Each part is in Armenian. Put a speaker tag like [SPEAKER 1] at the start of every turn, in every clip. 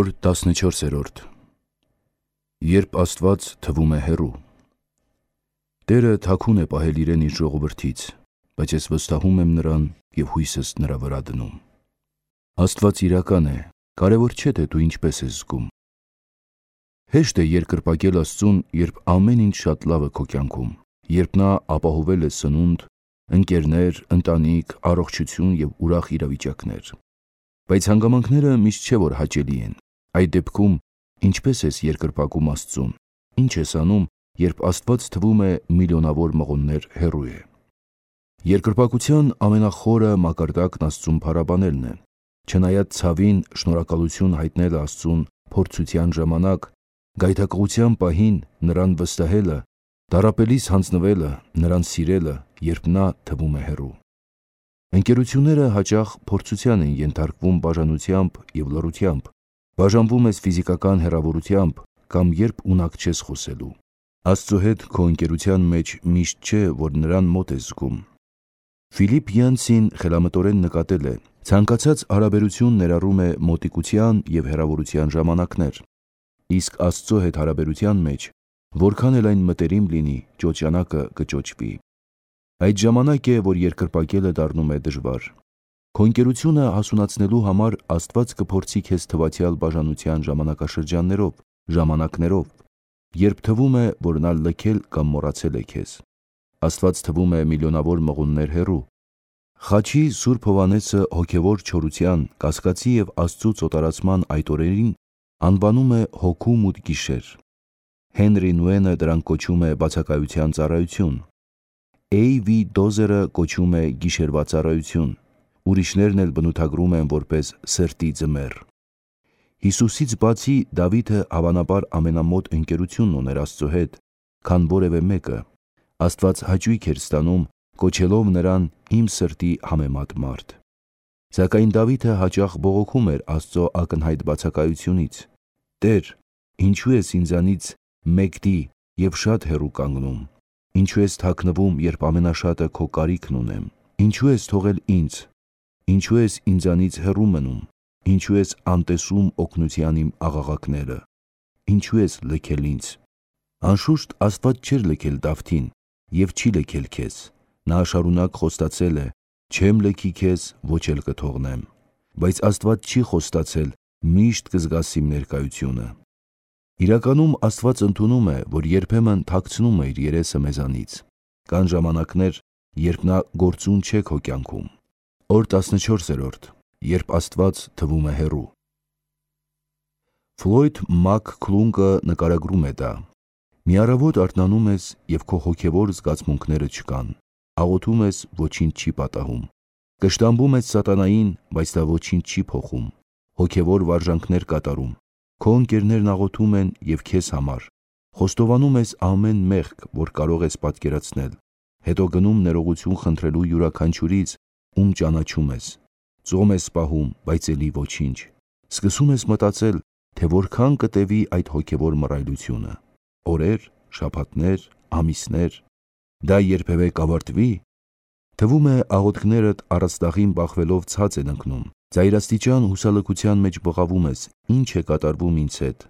[SPEAKER 1] Օր 14-րդ Երբ Աստված թվում է հեռու։ Տերը թաքուն է պահել իրեն իր ժողովրդից, բայց ես վստահում եմ նրան և հույսս նրա վրա դնում։ Աստված իրական է, կարևոր չէ թե դու ինչպես ես զգում։ Հեշտ է երկրպագել Աստծուն, երբ ամեն ինչ շատ լավ է քո կյանքում, երբ նա ապահովել է սնունդ, ընկերներ, ընտանիք, առողջություն և ուրախ իրավիճակներ։ Բայց հանգամանքները միշտ չէ որ հաճելի են։ Այդ դեպքում ինչպես ես երկրպագում Աստծուն, ինչ ես անում, երբ Աստված թվում է միլիոնավոր մղոններ հեռու է։ Երկրպագության ամենախորը մակարդակն Աստծուն փառաբանելն է։ Չնայած ցավին, շնորհակալություն հայտնելը Աստծուն փորձության ժամանակ, գայթակղության պահին նրան վստահելը, տառապելիս հանձնվելը, նրան սիրելը, երբ նա թվում է հեռու։ Ընկերությունները հաճախ փորձության են ենթարկվում բաժանությամբ և լռությամբ, բաժանվում ես ֆիզիկական հեռավորությամբ կամ երբ ունակ չես խոսելու։ Աստծո հետ քո ընկերության մեջ միշտ չէ, որ նրան մոտ ես զգում։ Ֆիլիպ Յանցին խելամտորեն նկատել է. ցանկացած հարաբերություն ներառում է մոտիկության և հեռավորության ժամանակներ, իսկ Աստծո հետ հարաբերության մեջ, որքան էլ այն մտերիմ լինի, ճոճանակը կճոճվի։ Այդ ժամանակ է, որ երկրպագելը դառնում է դժվար։ Քո ընկերությունը հասունացնելու համար Աստված կփորձի քեզ թվացյալ բաժանության ժամանակաշրջաններով, ժամանակներով, երբ թվում է, որ նա լքել կամ մոռացել է քեզ։ Աստված թվում է միլիոնավոր մղոններ հեռու։ Խաչի Սուրբ Հովհաննեսը հոգևոր չորության, կասկածի և Աստծուց օտարացման այդ օրերին անվանում է հոգու մութ գիշեր։ Հենրի Նուենը դրան կոչում է բացակայության ծառայություն։ A.V. Դոզերը կոչում է գիշերվա ծառայություն, ուրիշներն էլ բնութագրում են որպես սրտի ձմեռ։ Հիսուսից բացի Դավիթը հավանաբար ամենամոտ ընկերությունն ուներ Աստծո հետ, քան որևէ մեկը։ Աստված հաճույք էր ստանում, կոչելով նրան իմ սրտի համեմատ մարդ։ Սակայն Դավիթը հաճախ բողոքում էր Աստծո ակնհայտ բացակայությունից. «Տեր, ինչու ես ինձանից մեկդի և շատ հեռու կանգնում, ինչու ես թաքնվում, երբ ամենաշատը քո կարիքն ունեմ, ինչու ես թողել ինձ, ինչու ես ինձանից հեռու մնում, ինչու ես անտեսում օգնության իմ աղաղակները, ինչու ես լքել ինձ»։ Անշուշտ Աստված չէր լքել Դավթին և չի լքել քեզ։ Նա շարունակ խոստացել է. «Չեմ լքի քեզ, ոչ էլ կթողնեմ»։ Բայց Աստված չի խոստացել. «Միշտ կզգաս իմ ներկայությունը»։ Իրականում Աստված ընդունում է, որ երբեմն թաքցնում է իր երեսը մեզանից։ Կան ժամանակներ, երբ նա գործուն չէ քո կյանքում։ Օր 14-րդ Երբ Աստված թվում է հեռու։ Ֆլոյդ Մաքքլունգը նկարագրում է դա. «Մի առավոտ արթնանում ես և քո հոգևոր զգացմունքները չկան, աղոթում ես, ոչինչ չի պատահում, կշտամբում ես սատանային, բայց դա ոչինչ չի փոխում, հոգևոր վարժանքներ կատարում, քո ընկերներն աղոթում են և քեզ համար, խոստովանում ես ամեն մեղք, որ կարող ես պատկերացնել, հետո գնում ներողություն խնդրելու յուրաքանչյուրից, ում ճանաչում ես, ծոմ ես պահում, բայց էլի ոչինչ, սկսում ես մտածել, թե որքան կտևի այդ հոգևոր մռայլությունը, օրեր, շաբաթներ, ամիսներ, դա երբևէ կավարտվի։ Թվում է աղոթքներդ առաստաղին բախվելով ցած են ընկնում, ծայրաստիճան հուսալքության մեջ բղավում ես, ինչ է կատարվում ինձ հետ։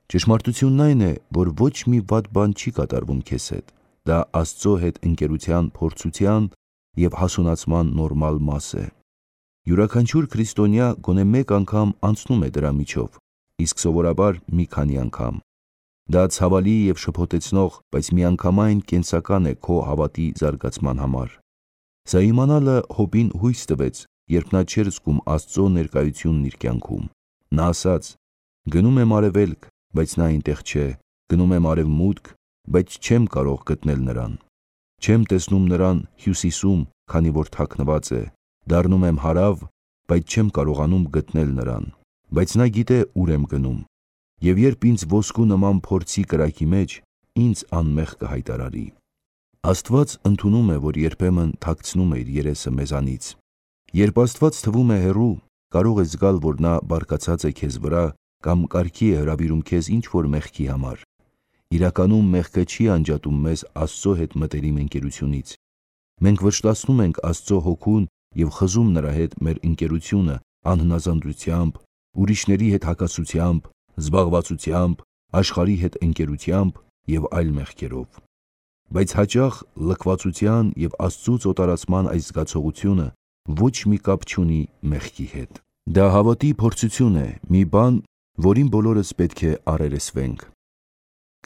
[SPEAKER 1] Ճշմարտությունն այն է, որ ոչ մի վատ բան չի կատարվում քեզ հետ, դա Աստծո հետ ընկերության փորձության և հասունացման նորմալ մաս է։ Յուրաքանչյուր քրիստոնյա գոնե մեկ անգամ անցնում է դրա միջով, իսկ սովորաբար մի քանի անգամ։ Դա ցավալի և շփոթեցնող, բայց միանգամայն կենսական է քո հավատի զարգացման համար։ Սա իմանալը Հոբին հույս տվեց, երբ նա չէր զգում Աստծո ներկայությունն իր կյանքում։ Նա ասաց. «Գնում եմ արևելք, բայց նա այնտեղ չէ, գնում եմ արևմուտք, բայց չեմ կարող գտնել նրան։ Չեմ տեսնում նրան հյուսիսում, քանի որ թաքնված է, դառնում եմ հարավ, բայց չեմ կարողանում գտնել նրան։ Բայց նա գիտե ուր եմ գնում, և երբ ինձ ոսկու նման փորձի կրակի մեջ, ինձ անմեղ կհայտարարի»։ Աստված ընդունում է, որ երբեմն թաքցնում է իր երեսը մեզանից։ Երբ Աստված թվում է հեռու, կարող է զգալ, որ նա բարկացած է քեզ վրա կամ կարգի է հրավիրում քեզ ինչ-որ մեղքի համար։ Իրականում մեղքը չի անջատում մեզ Աստծո հետ մտերիմ ընկերությունից։ Մենք վշտացնում ենք Աստծո հոգուն և խզում նրա հետ մեր ընկերությունը անհնազանդությամբ, ուրիշների հետ հակասությամբ, զբաղվածությամբ, աշխարհի հետ ընկերությամբ և այլ մեղքերով։ Բայց հաճախ լքվածության և Աստծուց օտարացման այս զգացողությունը ոչ մի կապ չունի մեղքի հետ։ Դա հավատի փորձություն է, մի բան, որին բոլորս պետք է առերեսվենք։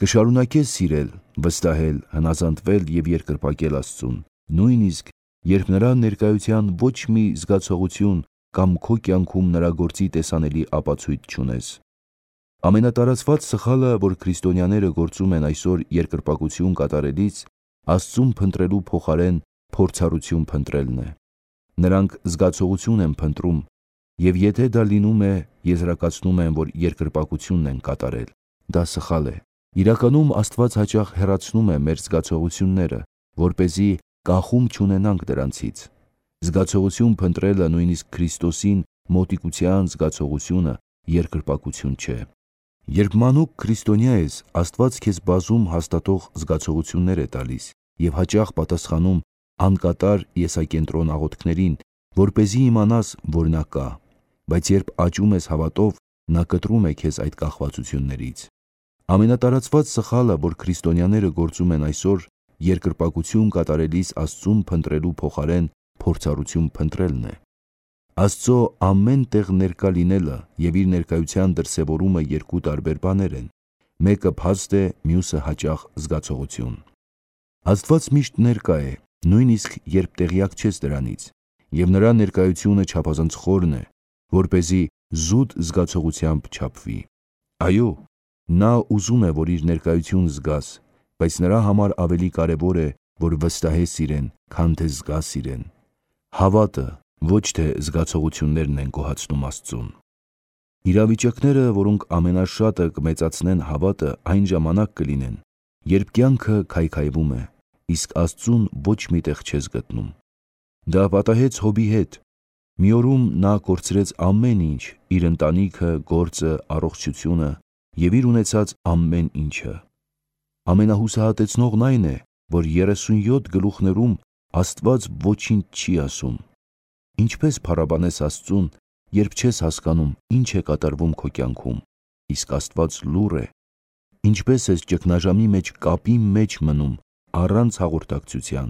[SPEAKER 1] Կշարունակես սիրել, վստահել, հնազանդվել և երկրպագել Աստծուն, նույնիսկ երբ նրա ներկայության ոչ մի զգացողություն կամ քո կյանքում նրա գործի տեսանելի ապացույց չունես։ Ամենատարածված սխալը, որ քրիստոնյաները գործում են այսօր երկրպագություն կատարելիս, Աստծուն փնտրելու փոխարեն փորձառություն փնտրելն է։ Նրանք զգացողություն են փնտրում, և եթե դա լինում է, եզրակացնում են, որ երկրպագությունն են կատարել։ Դա սխալ է։ Իրականում Աստված հաճախ հեռացնում է մեր զգացողությունները, որպեսզի կախում չունենանք դրանցից։ Զգացողություն փնտրելը, նույնիսկ Քրիստոսին մոտիկության զգացողությունը, երկրպագություն չէ։ Երբ մանուկ քրիստոնյա ես, Աստված քեզ բազում հաստատող զգացողություններ է տալիս և հաճախ պատասխանում անկատար եսակենտրոն աղոթքներին, որպեսզի իմանաս, որ նա կա, բայց երբ աճում ես հավատով, նա կտրում է քեզ այդ կախվածություններից։ Ամենատարածված սխալը, որ քրիստոնյաները գործում են այսօր, երկրպագություն կատարելիս Աստծուն փնտրելու փոխարեն փորձառություն փնտրելն է։ Աստծո ամեն տեղ ներկա լինելը և իր ներկայության դրսևորումը երկու տարբեր բաներ են։ Մեկը փաստ է, մյուսը հաճախ զգացողություն։ Աստված միշտ ներկա է, նույնիսկ երբ տեղյակ չես դրանից, և նրա ներկայությունը չափազանց խորն է, որպեսզի զուտ զգացողությամբ չափվի։ Այո, նա ուզում է, որ իր ներկայություն զգաս, բայց նրա համար ավելի կարևոր է, որ վստահես իրեն, քան թե զգաս իրեն։ Հավատը, ոչ թե զգացողություններն են գոհացնում Աստծուն։ Իրավիճակները, որոնք ամենաշատը կմեծացնեն հավատը, այն ժամանակ կլինեն, երբ կյանքը քայքայվում է, իսկ Աստծուն ոչ մի տեղ չես գտնում։ Դա պատահեց Հոբի հետ։ Մի օրում նա կորցրեց ամեն ինչ՝ իր ընտանիքը, գործը, առողջությունը և իր ունեցած ամեն ինչը։ Ամենահուսահատեցնողն այն է, որ 37 գլուխներում Աստված ոչինչ չի ասում։ Ինչպես փառաբանես Աստծուն, երբ չես հասկանում ինչ է կատարվում քո կյանքում, իսկ Աստված լուռ է։ Ինչպես ես ճգնաժամի մեջ կապի մեջ մնում առանց հաղորդակցության։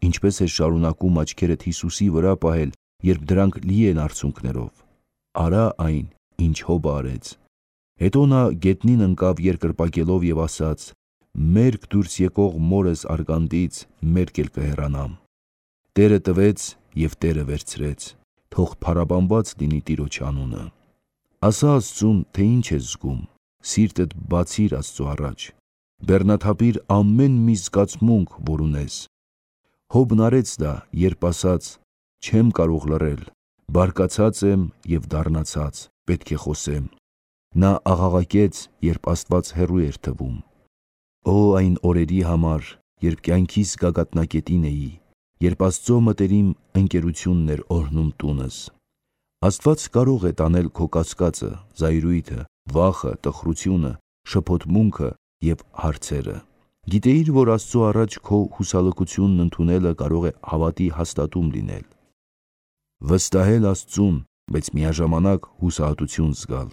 [SPEAKER 1] Ինչպես ես շարունակում աչքերդ Հիսուսի վրա պահել, երբ դրանք լի են արցունքներով։ Արա այն, ինչ Հոբը արեց։ Հետո նա գետնին ընկավ երկրպագելով և ասաց. «Մերկ դուրս եկող մորս արգանդից մերկ էլ կհեռանամ»։ Տերը տվեց և Տերը վերցրեց։ Թող փառաբանված լինի Տիրոջ անունը։ Ասա Աստծուն, թե ինչ ես զգում։ Սիրտդ բացիր Աստծո առաջ։ Բեռնաթափիր ամեն մի զգացմունք, որ ունես։ Հոբն արեց դա, երբ ասաց. «Չեմ կարող լռել, բարկացած եմ և դառնացած, պետք է խոսեմ»։ Նա աղաղակեց, երբ Աստված հեռու էր թվում։ Օ այն օրերի համար, երբ կյանքիս գագաթնակետին էի, երբ Աստծո մտերիմ ընկերությունն էր օրհնում տունս։ Աստված կարող է տանել քո կասկածը, զայրույթը, վախը, տխրությունը, շփոթմունքը և հարցերը։ Գիտեիր, որ Աստծո առաջ քո հուսալքությունն ընդունելը կարող է հավատի հաստատում լինել։ Վստահել Աստծուն, բայց միաժամանակ հուսահատություն զգալ։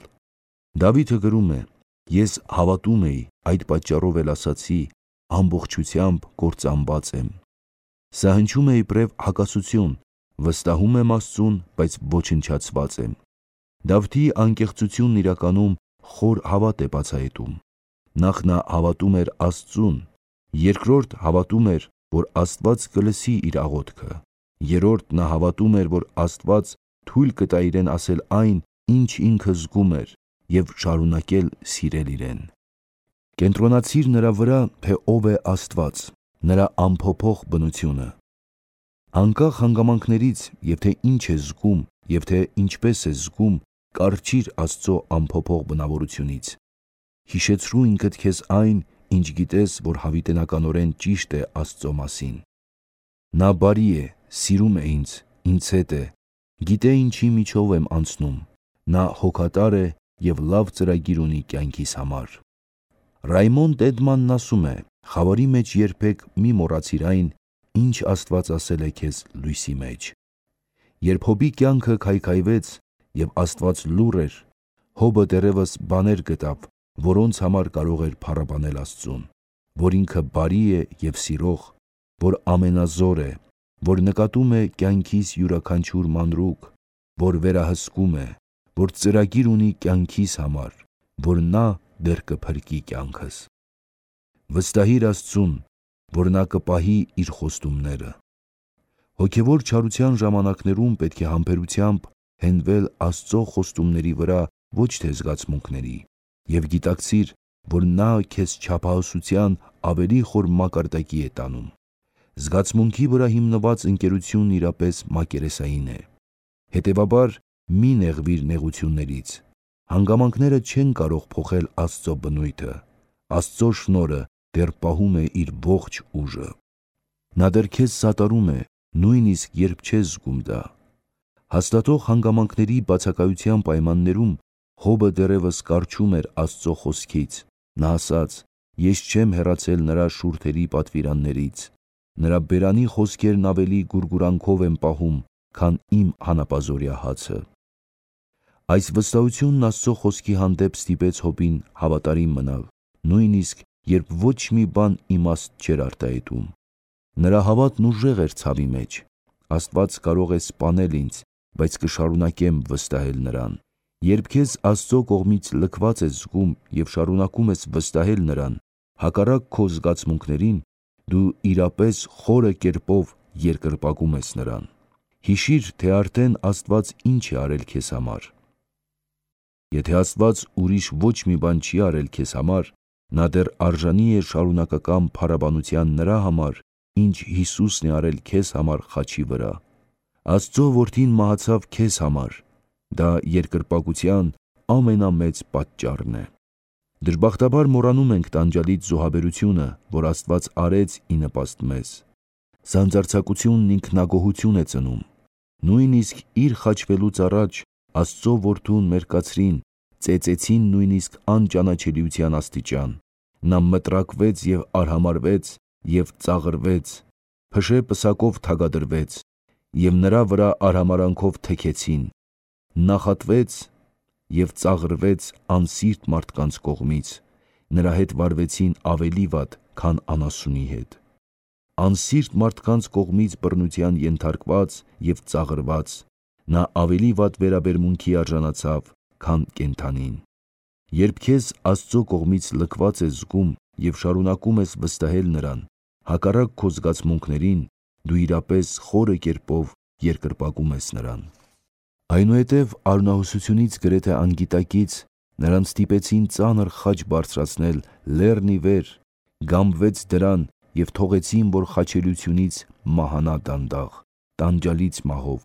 [SPEAKER 1] Դավիթը գրում է. «Ես հավատում էի, այդ պատճառով էլ ասացի. ամբողջությամբ կործանված եմ»։ Սա հնչում է իբրև հակասություն. վստահում եմ Աստծուն, բայց ոչնչացված եմ։ Դավթի անկեղծությունն իրականում խոր հավատ է բացահայտում։ Նախ նա հավատում էր Աստծուն, երկրորդ հավատում էր, որ Աստված կլսի իր աղոթքը, երրորդ նա հավատում էր, որ Աստված թույլ կտա իրեն ասել այն, ինչ ինքը զգում էր, և շարունակել սիրել իրեն։ Կենտրոնացիր նրա վրա, թե ով է Աստված, նրա անփոփոխ բնությունը։ Անկախ հանգամանքներից, և թե ինչ ես զգում, և թե ինչպես ես զգում, կառչիր Աստծո անփոփոխ բնավորությունից։ Հիշեցրու ինքդ քեզ այն, ինչ գիտես, որ հավիտենականորեն ճիշտ է Աստծո մասին։ Նա բարի է, սիրում է ինձ հետ է, գիտե ինչի միջով եմ անցնում, նա հոգատար է և լավ ծրագիր ունի կյանքիս համար։ Ռայմոնդ Էդմանն ասում է. «Խավարի մեջ երբեք մի մոռացիր այն, ինչ Աստված ասել է քեզ լույսի մեջ»։ Երբ Հոբի կյանքը քայքայվեց և Աստված լուռ էր, Հոբը դեռևս բաներ գտավ, որոնց համար կարող էր փառաբանել Աստծուն, որ ինքը բարի է և սիրող, որ ամենազոր է, որ նկատում է կյանքիս յուրաքանչյուր մանրուք, որ վերահսկում է, որ ծրագիր ունի կյանքիս համար, որ նա դեռ կփրկի կյանքս։ Վստահիր Աստծուն, որ նա կպահի իր խոստումները։ Հոգևոր չարության ժամանակներում պետք է համբերությամբ հենվել Աստծո խոստումների վրա, ոչ թե զգացմունքների, և գիտակցիր, որ նա քեզ չափահասության ավելի խոր մակարդակի է տանում։ Զգացմունքի վրա հիմնված ընկերությունն իրապես մակերեսային է։ Հետևաբար, մի նեղվիր նեղություններից։ Հանգամանքները չեն կարող փոխել Աստծո բնույթը։ Աստծո շնորհը դեռ պահում է իր ողջ ուժը։ Նա դեռ քեզ սատարում է, նույնիսկ երբ չես զգում դա։ Հաստատող հանգամանքների բացակայության պայմաններում Հոբը դեռևս կառչում էր Աստծո խոսքից։ Նա ասաց. «Ես չեմ հեռացել նրա շուրթերի պատվիրաններից, նրա բերանի խոսքերն ավելի գուրգուրանքով եմ պահում, քան իմ հանապազօրյա հացը»։ Այս վստահությունն Աստծո խոսքի հանդեպ ստիպեց Հոբին հավատարիմ մնալ, նույնիսկ երբ ոչ մի բան իմաստ չէր արտահայտում։ Նրա հավատն ուժեղ էր ցավի մեջ։ Աստված կարող է սպանել ինձ, բայց կշարունակեմ վստահել նրան։ Երբ քեզ Աստծո կողմից լքված ես զգում և շարունակում ես վստահել նրան, հակառակ քո զգացմունքներին, դու իրապես խորը կերպով երկրպագում ես նրան։ Հիշիր, թե արդեն Աստված ինչ է արել քեզ համար։ Եթե Աստված ուրիշ ոչ մի բան չի արել քեզ համար, նա դեռ արժանի է շարունակական փառաբանության նրա համար, ինչ Հիսուսն է արել քեզ համար խաչի վրա։ Աստծո որդին մահացավ քեզ համար։ Դա երկրպագության ամենամեծ պատճառն է։ Դժբախտաբար մոռանում ենք տանջալից զոհաբերությունը, որ Աստված արեց ի նպաստ մեզ։ Սանձարձակությունն ինքնագոհություն է ծնում։ Նույնիսկ իր խաչվելուց առաջ Աստծո որդուն մերկացրին, ծեծեցին նույնիսկ անճանաչելիության աստիճան։ Նա մտրակվեց և արհամարհվեց և ծաղրվեց, փշե պսակով թագադրվեց, և նրա վրա արհամարանքով թեքեցին, նախատվեց և ծաղրվեց անսիրտ մարդկանց կողմից, նրա հետ վարվեցին ավելի վատ, քան անասունի հետ։ Անսիրտ մարդկանց կողմից բռնության ենթարկված և ծաղրված, նա ավելի վատ վերաբերմունքի արժանացավ, քան կենդանին։ Երբ քեզ Աստծո կողմից լքված ես զգում և շարունակում ես վստահել նրան, հակառակ քո զգացմունքներին, դու իրապես խորը կերպով երկրպագում ես նրան։ Այնուհետև արյունահոսությունից գրեթե անգիտակից նրան ստիպեցին ծանր խաչ բարձրացնել լեռն ի վեր, գամվեց դրան և թողեցին, որ խաչելությունից մահանա դանդաղ, տանջալից մահով։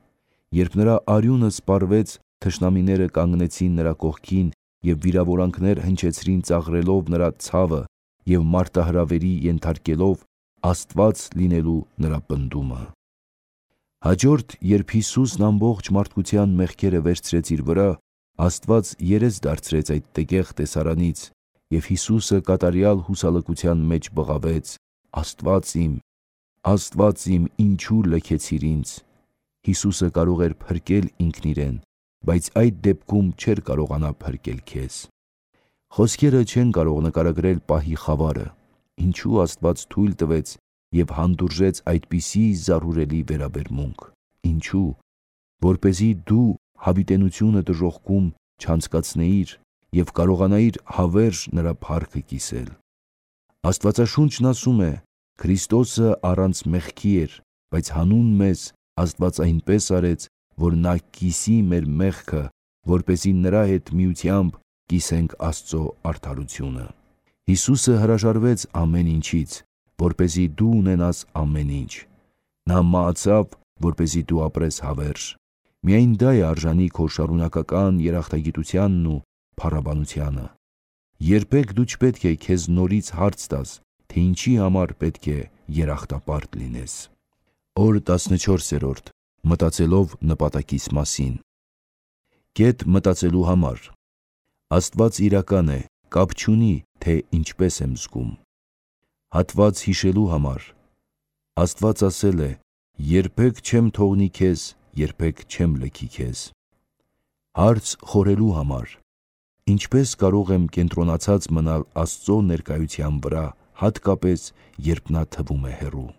[SPEAKER 1] Երբ նրա արյունը սպառվեց, թշնամիները կանգնեցին նրա կողքին և վիրավորանքներ հնչեցրին ծաղրելով նրա ցավը և մարտահրավերի ենթարկելով Աստված լինելու նրա պնդումը։ Հաջորդ, երբ Հիսուսն ամբողջ մարդկության մեղքերը վերցրեց իր վրա, Աստված երես դարձրեց այդ տգեղ տեսարանից, և Հիսուսը կատարյալ հուսալքության մեջ բղավեց. Աստված իմ, ինչու լքեցիր ինձ։ Հիսուսը կարող էր փրկել ինքն իրեն, բայց այդ դեպքում չէր կարողանա փրկել քեզ։ Խոսքերը չեն կարող նկարագրել պահի խավարը, ինչու Աստված թույլ տվեց և հանդուրժեց այդպիսի զարհուրելի վերաբերմունք։ Ինչու։ Որպեսզի դու հավիտենությունը դժոխքում չանցկացնեիր և կարողանայիր հավերժ նրա փառքը կիսել։ Աստվածաշունչն ասում է. «Քրիստոսը առանց մեղքի էր, բայց հանուն մեզ Աստված այնպես արեց, որ նա կիսի մեր մեղքը, որպեսզի նրա հետ միությամբ կիսենք Աստծո արդարությունը»։ Հիսուսը հրաժարվեց ամեն ինչից, որպեսզի դու ունենաս ամեն ինչ։ Նա մահացավ, որպեսզի դու ապրես հավերժ։ Միայն դա է արժանի քո շարունակական երախտագիտությանն ու փառաբանությանը։ Երբեք դու չպետք է քեզ նորից հարց տաս, թե ինչի համար պետք է երախտապարտ լինես։ Օր 14. Մտածելով նպատակիս մասին։ Կետ մտածելու համար։ Աստված իրական է, կապ չունի, թե ինչպես եմ զգում։ Հատված հիշելու համար։ Աստված ասել է. «Երբեք չեմ թողնի քեզ, երբեք չեմ լքի քեզ»։ Հարց խորելու համար։ Ինչպես կարող եմ կենտրոնացած մնալ Աստծո ներկայության վրա, հատկապես երբ նա թվում է հեռու։